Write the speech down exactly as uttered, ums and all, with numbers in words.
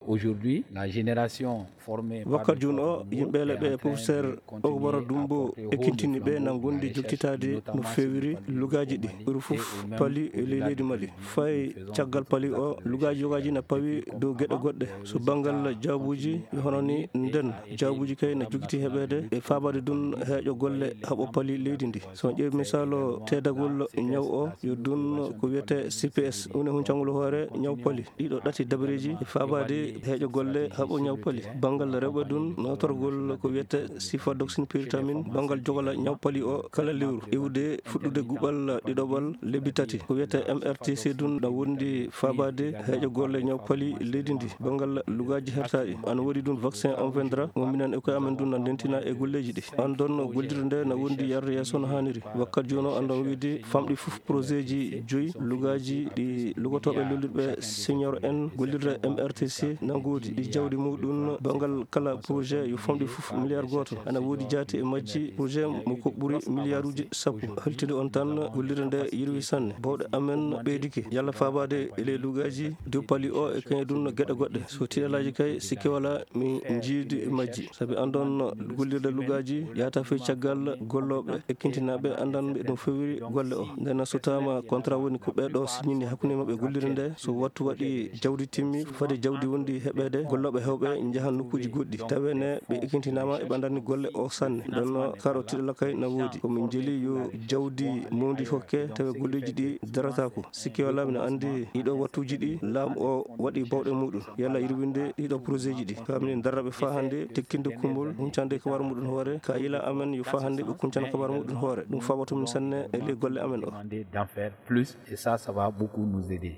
Aujourd'hui, la génération formée par Wakkati jooni o, yimɓe leɓɓe e professeur Ogbara Dumbo ekkintini ɓe na ngondi joktitaade no feewiri lugaaji ɗi. Ɓuri fof pali e ley leydi Mali. Fay caggal pali o, lugaaji yogaaji na pawi dow geɗe goɗɗe. So banngal jaabuuji, hono ni nden jaabuuji kay na jogiti heɓeede e faabaade dun heeƴo golle haɓo pali leydi ndi. So on ƴeewi misaalu teedagol ñaw o, yo dun ko wiyetee C P S, woni huncangol hoore ñaw pali. Ɗiɗo ɗati dabareeji e faabaade heeƴo golle haɓo ñaw pali. Banngal rewɓe dun nootorgol ko wiyetee cifodoxine pyritamine, banngal jogola ñaw pali o kala lewru. Iwde fuɗɗude guɓal ɗiɗoɓal lebbi tati. Ko wiyetee M R T C dun na wondi faabaade heeƴo golle ñaw pali leydi ndi. Banngal lugaaji hertaaɗi. Ana woodi dun vaccin on vendra mo minen e koye amen dun na ndentina e golleeji ɗi. Andon gollirde nde na wondi yarde yeeso no haaniri. Wakkati jooni o andon wiide famɗi fof projet ji joyi lugaaji ɗi lugotooɓe lollirɓe senior en gollirde M R T C na ngoodi ɗi jawdi muɗum banngal kala projet yo famɗi fof milliard gooto. Ana woodi jaati e majji projet mo ko ɓuri milliarduuji sappo. Holtinde on tan gollirde nde yirwi sanne. Bawɗe amen ɓeydike yalla faabaade e ley lugaaji dow pali o e kañum dun geɗe goɗɗe. So tiɗalaaji kay sikke wala mi jiidi e majji. Sabi andon gollirde lugaaji yahata fey caggal gollooɓe ekkintinaaɓe andanɓe no feewiri golle o. Nden so taama contrat woni ko ɓee ɗo signini hakkunde maɓɓe gollirde nde. So wattu waɗi jawdi timmi fade jawdi wondi heɓeede gollooɓe hewɓe njahan nokkuuji goɗɗi. Tawe ne ɓe ekkintinaama e ɓe andani golle o sanne. Nden no karo tiɗala kay na woodi. Ko min jeli yo jawdi mawndi hokke tawe golleeji ɗi darataako. Sikke wala mino andi ɗiɗo wattuuji ɗi laamu o waɗi bawɗe muɗum. Yalla yirwinde ɗiɗo projet ji ɗi. Ka minen darraɓe faa hannde tekkinde kumbol huncande kabar muɗum hoore. Ka yila amen yo faa hannde ɓe kuncana kabar muɗum hoore. Ɗum fawato min sanne e ley golle amen o. Demander d'en faire plus et ça, ça va beaucoup nous aider.